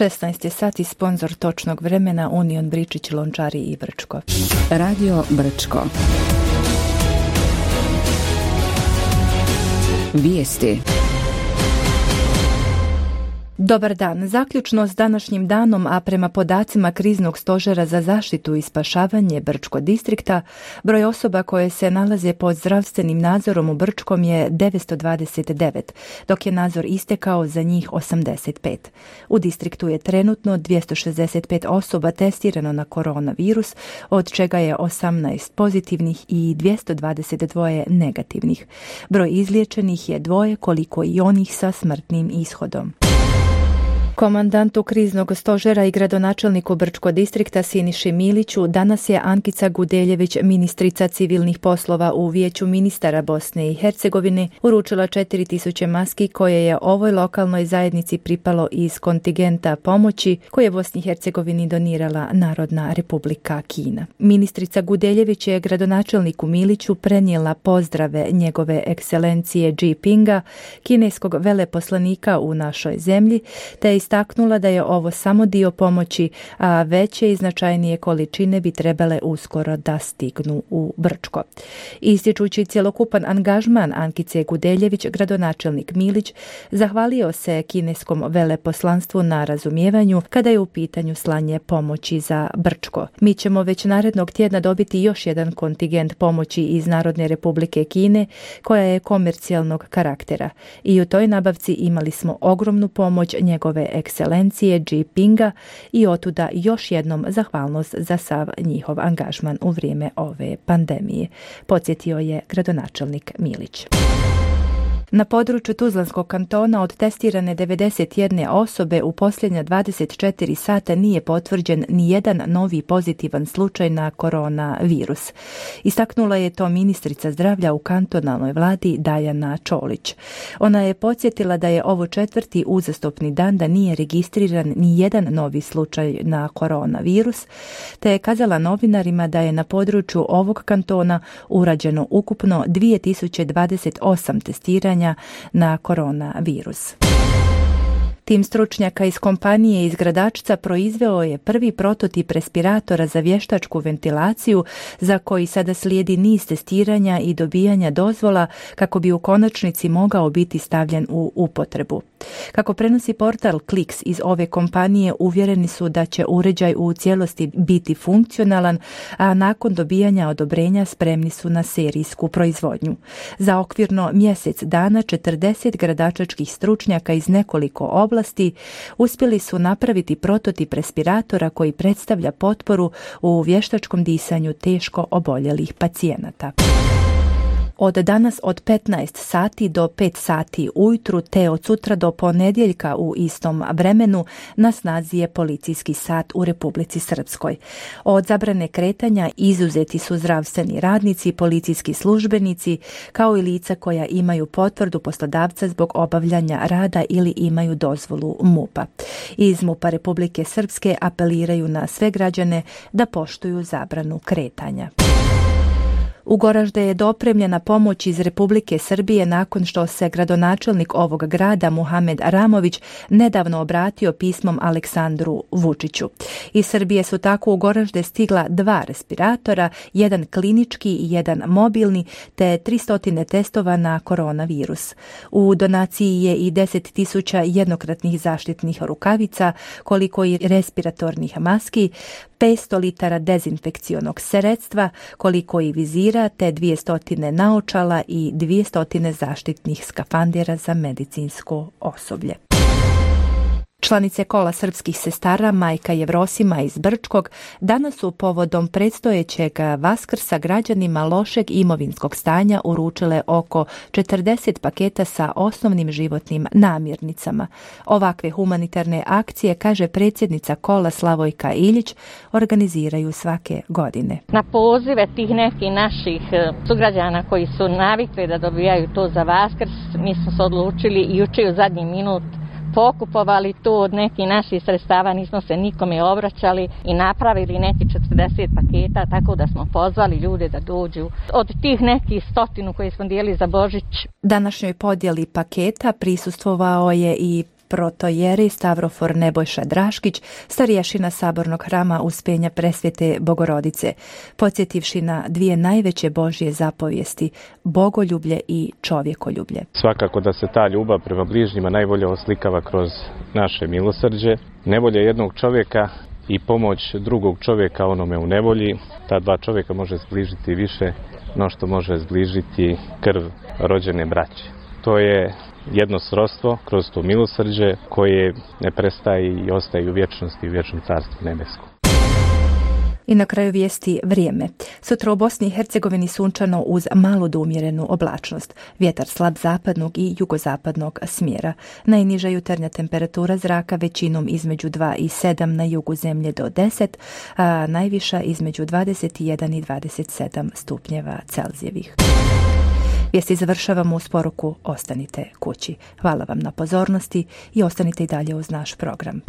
16 je sat i sponzor točnog vremena Union Bričić, Lončari i Brčko. Radio Brčko. Vijesti. Dobar dan. Zaključno s današnjim danom, a prema podacima Kriznog stožera za zaštitu i spašavanje Brčko distrikta, broj osoba koje se nalaze pod zdravstvenim nadzorom u Brčkom je 929, dok je nadzor istekao za njih 85. U distriktu je trenutno 265 osoba testirano na koronavirus, od čega je 18 pozitivnih i 222 negativnih. Broj izliječenih je 2, koliko i onih sa smrtnim ishodom. Komandantu Kriznog stožera i gradonačelniku Brčko distrikta Siniši Miliću danas je Ankica Gudeljević, ministrica civilnih poslova u Vijeću ministara Bosne i Hercegovine, uručila 4000 maski koje je ovoj lokalnoj zajednici pripalo iz kontingenta pomoći koje je Bosni i Hercegovini donirala Narodna Republika Kina. Ministrica Gudeljević je gradonačelniku Miliću prenijela pozdrave njegove ekscelencije Xi Jinpinga, kineskog veleposlanika u našoj zemlji, te je istaknula da je ovo samo dio pomoći, a veće i značajnije količine bi trebale uskoro da stignu u Brčko. Ističući cjelokupan angažman Ankice Gudeljević, gradonačelnik Milić zahvalio se kineskom veleposlanstvu na razumijevanju kada je u pitanju slanje pomoći za Brčko. Mi ćemo već narednog tjedna dobiti još jedan kontingent pomoći iz Narodne Republike Kine koja je komercijalnog karaktera i u toj nabavci imali smo ogromnu pomoć njegove ekscelencije Xi Jinpinga i otuda još jednom zahvalnost za sav njihov angažman u vrijeme ove pandemije, podsjetio je gradonačelnik Milić. Na području Tuzlanskog kantona od testirane 91 osobe u posljednja 24 sata nije potvrđen ni jedan novi pozitivan slučaj na koronavirus. Istaknula je to ministrica zdravlja u kantonalnoj vladi Dajana Čolić. Ona je podsjetila da je ovo 4. uzastopni dan da nije registriran ni jedan novi slučaj na koronavirus, te je kazala novinarima da je na području ovog kantona urađeno ukupno 2028 testiranja na koronavirus. Tim stručnjaka iz kompanije iz Gradačca proizveo je prvi prototip respiratora za vještačku ventilaciju za koji sada slijedi niz testiranja i dobijanja dozvola kako bi u konačnici mogao biti stavljen u upotrebu. Kako prenosi portal Kliks iz ove kompanije, uvjereni su da će uređaj u cijelosti biti funkcionalan, a nakon dobijanja odobrenja spremni su na serijsku proizvodnju. Za okvirno mjesec dana 40 gradačačkih stručnjaka iz nekoliko oblasti uspjeli su napraviti prototip respiratora koji predstavlja potporu u vještačkom disanju teško oboljelih pacijenata. Od danas od 15 sati do 5 sati ujutru te od sutra do ponedjeljka u istom vremenu na snazi je policijski sat u Republici Srpskoj. Od zabrane kretanja izuzeti su zdravstveni radnici, policijski službenici, kao i lica koja imaju potvrdu poslodavca zbog obavljanja rada ili imaju dozvolu MUP-a. Iz MUP-a Republike Srpske apeliraju na sve građane da poštuju zabranu kretanja. U Goražde je dopremljena pomoć iz Republike Srbije nakon što se gradonačelnik ovog grada Muhamed Aramović nedavno obratio pismom Aleksandru Vučiću. Iz Srbije su tako u Goražde stigla 2 respiratora, jedan klinički i jedan mobilni, te 300 testova na koronavirus. U donaciji je i 10.000 jednokratnih zaštitnih rukavica, koliko i respiratornih maski, 500 litara dezinfekcionog sredstva, koliko i vizira, te 200 naočala i 200 zaštitnih skafandera za medicinsko osoblje. Članice kola srpskih sestara Majka Jevrosima iz Brčkog danas su povodom predstojećeg Vaskrsa građanima lošeg imovinskog stanja uručile oko 40 paketa sa osnovnim životnim namirnicama. Ovakve humanitarne akcije, kaže predsjednica kola Slavojka Iljić, organiziraju svake godine. Na pozive tih nekih naših sugrađana koji su navikli da dobijaju to za Vaskrs, mi smo se odlučili i juče u zadnji minut pokupovali to od nekih naših sredstava, nismo se nikome obraćali i napravili neki 40 paketa, tako da smo pozvali ljude da dođu. Od tih nekih 100 koje smo dijelili za Božić. Današnjoj podjeli paketa prisustvovao je i protojeri Stavrofor Nebojša Draškić, starješina Sabornog hrama Uspenja Presvete Bogorodice, podsjetivši na dvije najveće Božje zapovijesti, bogoljublje i čovjekoljublje. Svakako da se ta ljubav prema bližnjima najbolje oslikava kroz naše milosrđe. Nevolja jednog čovjeka i pomoć drugog čovjeka onome u nevolji, ta dva čovjeka može zbližiti više no što može zbližiti krv rođene braće. To je jedno srodstvo kroz to milosrđe koje ne prestaje i ostaje u vječnosti, u vječnom carstvu nebeskom. I na kraju vijesti vrijeme. Sutra u Bosni i Hercegovini sunčano uz malu do umjerenu oblačnost. Vjetar slab zapadnog i jugozapadnog smjera. Najniža jutarnja temperatura zraka većinom između 2 i 7 na jugu zemlje do 10, a najviša između 21 i 27 stupnjeva Celzijevih. Vijesti završavamo uz poruku ostanite kući. Hvala vam na pozornosti i ostanite i dalje uz naš program.